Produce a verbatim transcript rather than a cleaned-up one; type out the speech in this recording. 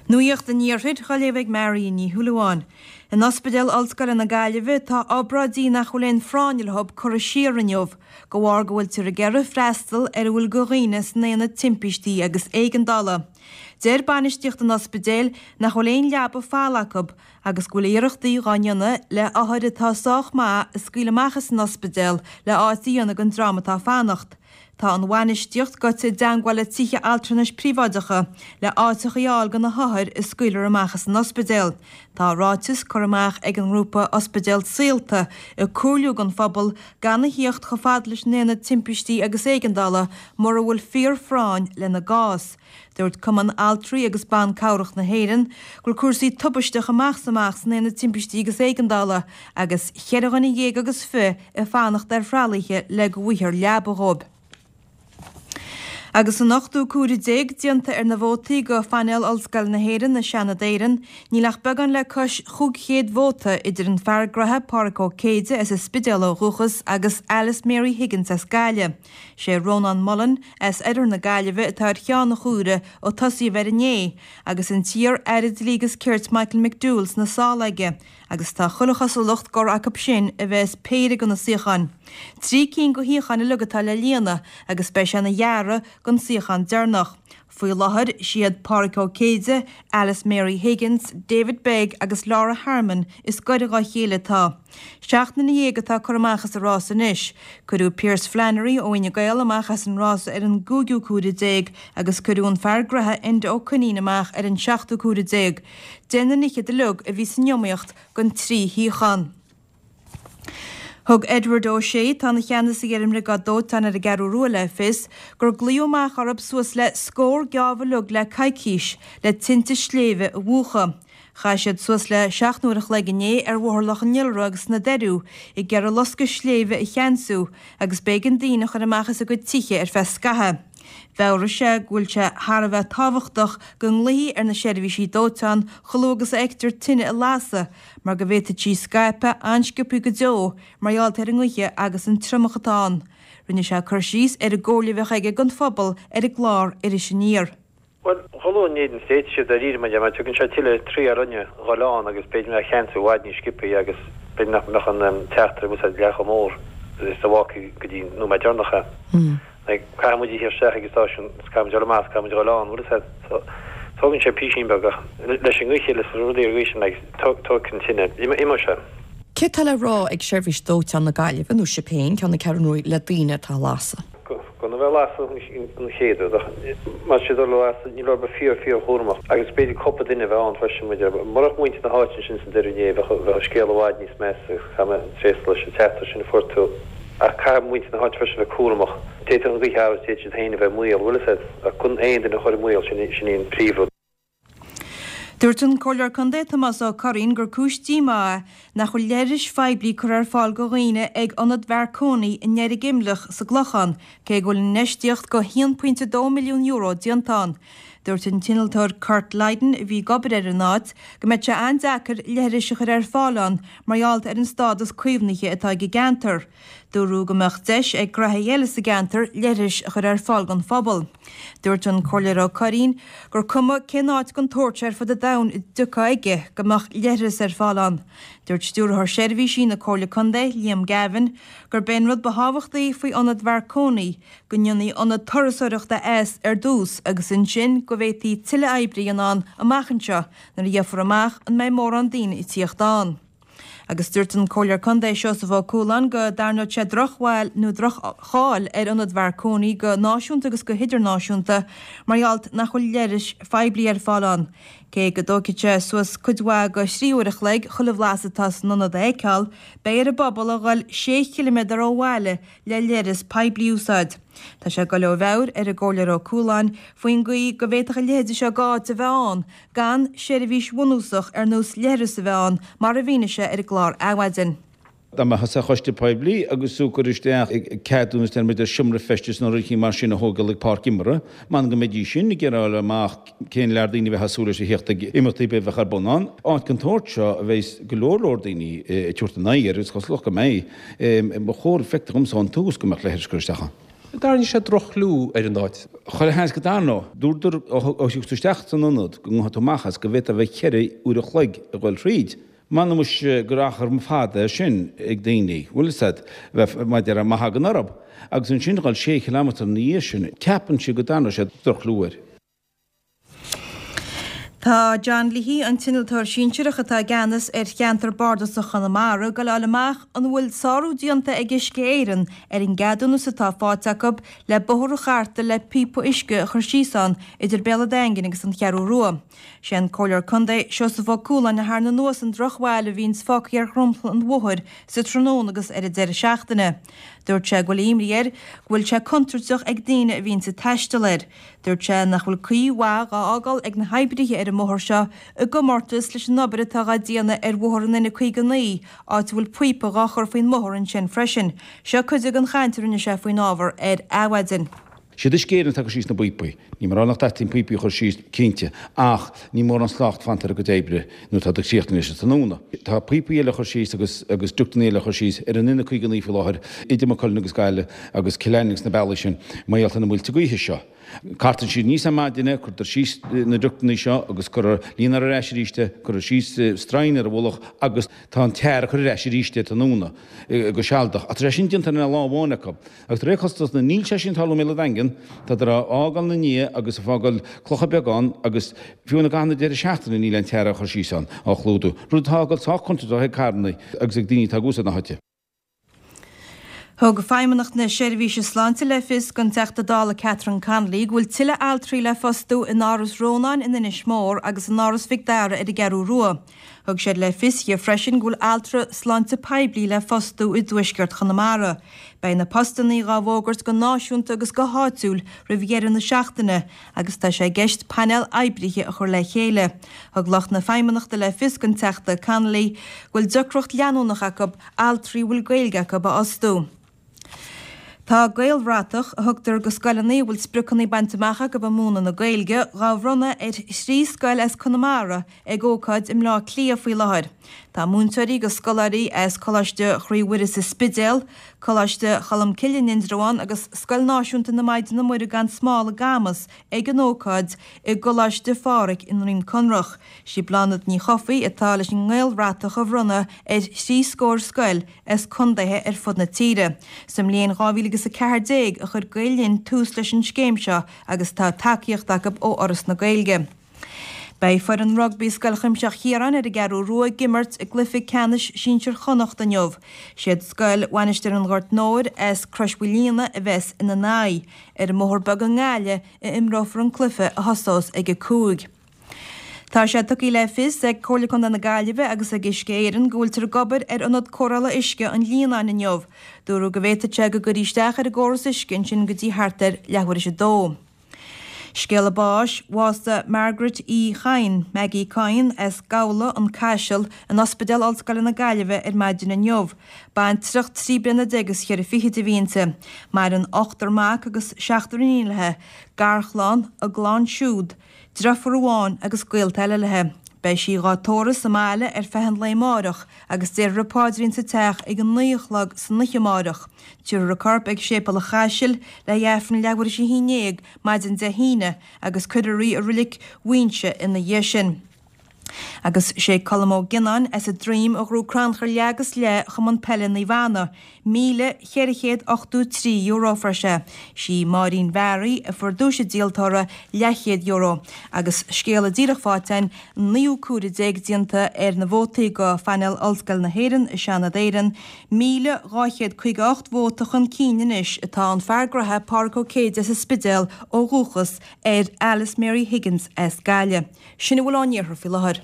Nuacht an Iarthair á léamh ag Mary Ní Shúilleabháin. In Ospidéal Ollscoile na Gaillimhe tá obráidí nach bhfuil aon phráinn leo curtha siar inniu, de bharr go bhfuiltear ag iarraidh freastal ar a bhfuil de dhaoine san aonad timpistí agus éigeandála. Deir bainistíocht an ospidéil nach bhfuil aon leaba fágtha acu agus go bhfuil iarrachtaí á ndéanamh le hothair atá sách maith a scaoileadh amach as an ospidéal le áit a dhéanamh don dream atá ag fanacht. Tá an bhainistíocht gaibhte i dteagmháil le tithe altranais príobháideacha le áiteacha a fháil do na hothair a scaoilfear amach as an ospidéal. Tá ráiteas curtha amach ag an ngrúpa Ospidéal Saolta ag comhairliú don phobal gan a thíocht chomh fada leis an aonad timpistí agus éigeandála mura bhfuil fíorphráinn lena gcás. Dúirt Cumann Altraí agus Ban Cabhrach na hÉireann go bhfuil cúrsaí tubaisteach amach is amach san aonad timpistí agus éigeandála agus cheithre dhuine dhéag agus fiche ag fanacht ar thralaithe le go bhfaighfear leaba dhóibh. Agus an ochtú cuaire déag déanta ar na vótaí go phainéal Ollscoil na hÉireann i Seanad Éireann, níl ach beagán le cois chúig chéad vóta idir an fear graithe Pádraig Ó Céide as an Spidéal ó dhúchas agus Alice Mary Higgins as Gaillimh. Sé Rónán Mullen as oirthear na Gaillimhe atá ar cheann an chuaire ó tosaíodh air inné, agus an t-iar-aire Dlí agus Cirt Michael McDowell sna sála aige, agus tá chuile chosúlacht gur acu sin a bheas péire de na suíocháin. Trí cinn de shuíocháin uilig atá le líonadh agus beidh sé ina ghearradh don suíochán deireanach. Faoi láthair siad Pádraig Ó Céide, Alice Mary Higgins, David Begg agus Laura Harmon is gaire dá chéile atá. Seacht nduine dhéag atá curtha amach as an rás anois. Cuireadh Pearse Flannery ó Fhine Gael amach as an rás ar an gcúigiú cuaire déag agus cuireadh an fear graithe Enda Ó Coinín amach ar an seachtú cuaire déag. Deich nduine fhichead uilig a bhí san iomaíocht don trí shuíochán. Thug Edward O'Shea, atá ina cheannasaí ar an mBriogáid Dóiteáin ar an gCeathrú Rua le fios gur glaodh amach orthu suas le scór geábh uilig le coicís le tinte sléibhe a mhúchadh. Chaith siad suas le seacht n-uair a chloig inné ar Bhóthar Loch an Iolra agus sna Doiriú ag iarraidh loscadh sléibhe a cheansú agus b'éigean daoine a chur amach as a gcuid tithe ar feadh scaithimh. Mheabhraigh sé go bhfuil sé thar a bheith tábhachtach go nglaofaí ar na seirbhísí dóiteáin chomh luath agus a fheictear tine ag lasadh mar go bhféadfadh sí scaipeadh an-sciobtha go deo mar gheall ar an ngaoth agus an triomach atá ann. Rinne sé cur síos ar an gcomhairle a bheadh aige don phobal ar an gclár Iris Aniar. Bhuel, chomh luath i ndiaidh an stéit siad dáiríre mar mar tugann sé tuilleadh trí orainne dhul ann agus b'fhéidir mé a cheansú i bhfad níos sciobthaí agus b'fhéidir nach mbeadh an teachtaire ag úsáid leath chomh mór is a bhfágfaí go dtí an nóiméad deireanach é. Like, caithfidh muid a theacht isteach ag an stáisiún, is caithfidh muid dul amach, is caithfidh muid dhul ann, bhfuil a fhios agat. So, tógann sé písín beag ach leis an ngaoth leis na rudaí ar an gcaoi sin, like, tógfaidh an tine, imeoidh sé. Céard tá le rá ag Seirbhís Dóiteáin na Gaillimhe, nó sibh féin, ceann na Ceathrún Rua, le daoine atá ag lasadh? Gan a bheith ag lasadh an chéad rud, ach má tá siad ag lasadh, níl orthu bheith fíor, fíor chúramach agus b'fhéidir cúpla duine a bheith ann freisin, muid, murach muintir na háite ansin san deireadh inné, bheadh, bheadh an scéal i bhfad níos measa agus caithfidh mé tréaslú leis an teachtaire sin a fuair tú. Ach caithfidh muintir na háite freisin a bheith cúramach. D'fhéadfadh an ghaoth athrú, d'fhéadfadh siad féin a bheith i mbaol, bhfuil a fhios agat. Ach gan aon duine a chur i mbaol, sin sin í an príomhrud. Dúirt an Comhairleoir Contae Tomás Ó Curraoin gur cúis díomá é nach bhfuil leithris phoiblí curtha ar fáil do dhaoine ag Ionad Mharconi i nDeirg Imleach sa gClochán, cé go bhfuil infheistíocht de haon pointe dó milliún euro déanta ann. Dúirt an t-innealtóir Kurt Lydon, a bhí ag obair ar an áit, go mbeadh sé an-deacair leithris a chur ar fáil ann mar gheall ar an stádas caomhnaithe atá ag an gceantar. Dúradh go mbeadh deis ag graithí eile sa gceantar leithris a chur ar fáil don phobal. Dúirt an Comhairleoir Ó Curraoin gur cuma cén áit den tsórt ar fud an domhain a dtiocfá aige go mbeadh leithreas ar fáil ann. Dúirt Stiúrthóir Seirbhísí na Comhairle Contae, Liam Gavin, gurb é an rud ba thábhachtaí faoi Ionad Mharconi go ndéanfaí ionad turasóireachta as ar dtús agus ansin go bhféadfaí tuilleadh oibre a dhéanamh ann amach anseo nuair a gheofar amach an mbeidh mórán daoine ag tíocht ann. Agus dúirt an Comhairleoir Contae Seosamh Ó Cualáin go dtarraingeodh sé drochbhail nó droch-cháil ar Ionad Mharconi go náisiúnta agus go hidirnáisiúnta mar gheall nach bhfuil leithris phoiblí ar fáil ann. Cé go dtógfaidh sé suas cuid mhaith de thrí uair a chloig chuile bhlas atá san ionad a fheiceáil, beidh ar an bpobal a dhul sé chiliméadar ó bhaile le leithreas poiblí a úsáid. Tá sé ag dul ó mheabhair ar an gComhairleoir Ó Cualáin faoin gcaoi go bhféadfadh a leithéide seo d'áit a bheith ann gan seirbhís bhunúsach ar nós leithreas a bheith ann, mar a mhínigh sé ar an gclár Adhmhaidin. Dá mbeifeá sa choiste poiblí agus tú ag cur isteach ceadúnas deir muid ar seomra feistis nó rudaí mar sin a thógáil ag páirc imeartha, m'anam go mbeidís sin ag iarraidh a fháil amach cén lear daoine a bheadh ag súil leis a theacht ag imeachtaí ar bith a bheadh ar bun ann. Áit den tsórt seo a bheidh go leor leor daoine ag tabhairt a n-aghaidh air agus cosúlacht go mbeidh. Ba chóir, feictear dhomsa ón tús go mbeadh leithris curtha isteach ann. An dtarraingeoidh sé droch-chlú ar an áit? Chuile sheans go dtarraingeoidh. Dúradar ó thiocfadh tú isteach san ionad go ngabhfadh tú amach as go bhféadfá a bheith ceithre uair a chloig ag dul thríd. M'anam muis gur achar fada é sin ag daoine, bhfuil fhios a'd, bheith mar a déarfá má thagann orthu. Agus ansin dhul sé chileámetar ina dhiaidh sin, ceapann siad go dtarraingeoidh sé droch-chlú air. Tá John Leahy, an t-innealtóir sinsearach atá i gceannas ar cheantar bardasach Chonamara, ag goil a fháil amach an bhfuil sárú déanta ag Uisce Éireann ar an gceadúnas atá faighte acu le bóthar a chartadh le píopa uisce a chur síos ann idir Béal an Daingin agus an Cheathrú Rua. Sé an Comhairleoir Contae Seosamh Ó Cualáin a tharraing anuas an drochbhail a bhíonns fágtha ar dhromchla an bhóthair sa tráthnóna agus ar an deireadh seachtaine. Dúirt sé go bhfuil imní air go bhfuil sé contúirteach ag daoine a bhíonns ag taisteal air. Dúirt sé nach bhfuil caoi mhaith dhá fhágáil ag na hoibrithe ar an mbóthar seo i gcomórtas leis an obair atá dhá déanamh ar bhóthar an N caoga naoi, áit a bhfuil píopa dhá chur faoin mbóthar ansin freisin. Seo cuid den chaint a rinne sé faoin ábhar ar Adhmhaidin. Siad Uisce Éireann atá ag cur síos na bpíopaí. Ní mar nach dteastaíonn píopaí a chur síos, cinnte, ach ní mórán slacht fanta ar a gcuid oibre nuair atá siad ag críochnú leis an tráthnóna. Tá píopaí eile a chur síos agus agus ductanna eile a chur síos ar an N caoga naoi faoi láthair idir Maigh Cuilinn agus Gaillimh agus Cill Airne agus na bealaí sin mar gheall ar na muilte gaoithe seo. Cartann siad aníos ar maidin é, cuirtear síos na ductanna seo agus cuirtear líontar ar ais arís é, cuirtear síos stroighin ar a mhullach agus tá an tar á chur ar ais arís é tráthnóna go sealadach. Ach tá sé sin déanta in aon lá amháin acu. Agus de réir cosúlachta níl sé sin ag tarlú i mBéal an Daingin, tádar á fhágáil ina ndiaidh agus ag fágáil clocha beaga ann agus fiú i gcaitheamh na deireadh seachtaine níl aon tar á chur síos ann, á chlúdú, rud atá ag dul sách contúirteach ag carranna agus ag daoine atá ag úsáid na háite. Thug Feidhmeannacht na Seirbhíse Sláinte le fios don Teachta Dála Catherine Connolly go bhfuil tuilleadh altraí le fostú in Áras Rónáin in Inis Mór agus in Áras Mhic Dara ar an gCeathrú Rua. Thug siad le fios di freisin go bhfuil altra sláinte poiblí le fostú i dtuaisceart Chonamara. Beidh na postanna dhá bhfógairt go náisiúnta agus go háitiúil roimh dheireadh na seachtaine agus tá sé i gceist painéal oibrithe a chur le chéile. Thug lucht na Feidhmeannachta le fios don Teachta Connolly go bhfuil deacracht leanúnach acu altraí a bhfuil Gaeilge acu a fhostú. Tá Gaelbhratach, a thugtar go scoileanna a bhfuil spriocanna bainte amach acu i múineadh na Gaeilge, dhá bhronnadh ar thrí scoil as Conamara ag ócáid i mBleá Cliath faoi láthair. Tá múinteoirí agus scoláirí as Coláiste Chroí Mhuire sa Spidéal, Coláiste Cholmcille in Indreabhán agus Scoil Náisiúnta na Maighdine Muire gan Smál i gCamas ag an ócáid i gColáiste Phádraig i nDroim Conrach. Sí Bláthnaid Ní Chofaigh atá leis an nGaelbhratach a bhronnadh ar thrí scór scoil as contaetha ar fud na tíre. Sa mbliain dhá mhíle agus a ceathair déag a chuir Gael Linn tús leis an scéim seo agus tá tacaíocht acu ó Fhoras na Gaeilge. Beidh foireann rugbaí Scoil Chuimsitheach Chiaráin ar an gCeathrú Rua ag imirt i gcluiche ceannais sinsir Chonnacht inniu. Siad Scoil Mhainistir an Ghoirt Móir as Crois Mhaoilíona a bheas ina n-aghaidh. Ar an mBóthar Beag i nGaillimh a imreofar an cluiche a thosós ag a cúig. Tá sé tugtha le fios ag Comhairle Contae na Gaillimhe agus ag Uisce Éireann go bhfuiltear ag obair ar ionad cóireála uisce an Líonáin inniu. Dúradh go bhféadfadh sé go gcuirfí isteach ar an gcóras uisce ansin go dtí thart ar leathuair tar éis a dó. Scéala báis, Bhásaigh Margaret Uí Chadhain, Maggie Coyne, as Gabhla, An Caiseal, in Ospidéal Ollscoile na Gaillimhe ar maidin inniu. Baintreach trí bliana déag is cheithre fichid a bhí inti. Maireann ochtar mac agus seachtar iníon léi, garchlann, a gclann siúd, Deirfiúr amháin agus gaolta eile léi. Beidh sí dhá tórramh sa mbaile ar feadh an lae amáireach agus déarfar an paidrín sa teach ag a naoi a chlog san oíche amáireach. Tabharfar a corp ag Séipéal an Chaisil le hAifreann leathuair tar éis a haon déag maidin Dé hAoine agus cuirfear í i Reilig Mhuighinse ina dhiaidh sin. Agus sé Colm Ó Gionnáin as an Droim a ghnóthaigh crannchur leath agus leath Chumann Peile Naomh Anna, míle cheithre chéad ochtó trí euro a fuair sé. Sí Máirín Bharry a fuair duais an díoltóra, leathchéad euro. Agus scéala díreach faighte againn, an naoú comhaireamh déag déanta ar na vótaí go phainéal Ollscoil na hÉireann i Seanad Éireann, míle dhá chéad caoga ocht vóta chun cinn anois atá an fear graithe Pádraig Ó Céide as an Spidéal ó dhúchas ar Alice Mary Higgins as Gaillimh. Sin a bhfuil ón iarthar faoi láthair.